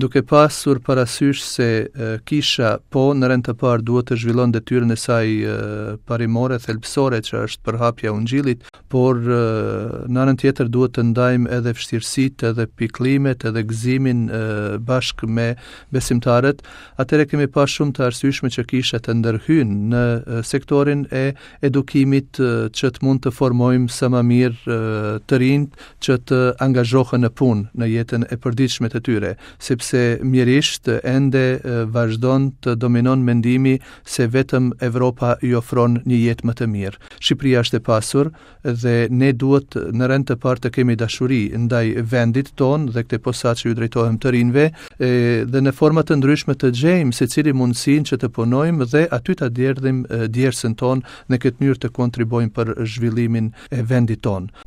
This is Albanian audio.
Duke pasur parasysh se kisha po në rend të parë duhet të zhvillon detyrën e saj parimore, thelbësore që është përhapja e ungjillit, por në anën tjetër duhet të ndajmë edhe vështirësitë, edhe pikëllimet, edhe gëzimin bashkë me besimtarët, atëherë kemi pa shumë të arsyeshme që kisha të ndërhyn në sektorin e edukimit që të mund të formojmë sa më mirë të rinjtë që të angazhohen në punë në jetën e përditshme të tyre, sepse mjerisht ende vazhdon të dominon mendimi se vetëm Evropa i ofron një jetë më të mirë. Shqipëria është e pasur dhe ne duhet në rend të parë të kemi dashuri ndaj vendit tonë dhe këtë posaçe ju drejtohem të rinjve e, dhe në forma të ndryshme të gjejmë secili mundësinë që të punojmë dhe aty ta derdhim djersën tonë në këtë mënyrë të kontribuojmë për zhvillimin e vendit tonë.